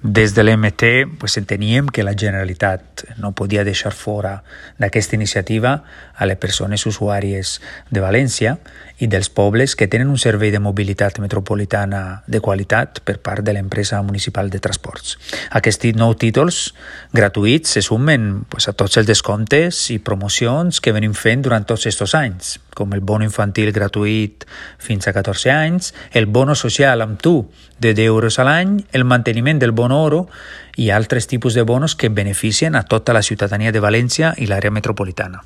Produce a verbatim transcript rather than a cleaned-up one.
Des de l'M T pues, enteníem que la Generalitat no podia deixar fora d'aquesta iniciativa a les persones usuàries de València i dels pobles que tenen un servei de mobilitat metropolitana de qualitat per part de l'empresa municipal de transports. Aquests nou títols gratuïts se sumen pues, a tots els descomptes i promocions que venim fent durant tots aquests anys, com el bono infantil gratuït fins a catorze anys, el bono social amb tu de deu euros a l'any, el manteniment del bono oro i altres tipus de bonos que beneficien a tota la ciutadania de València i l'àrea metropolitana.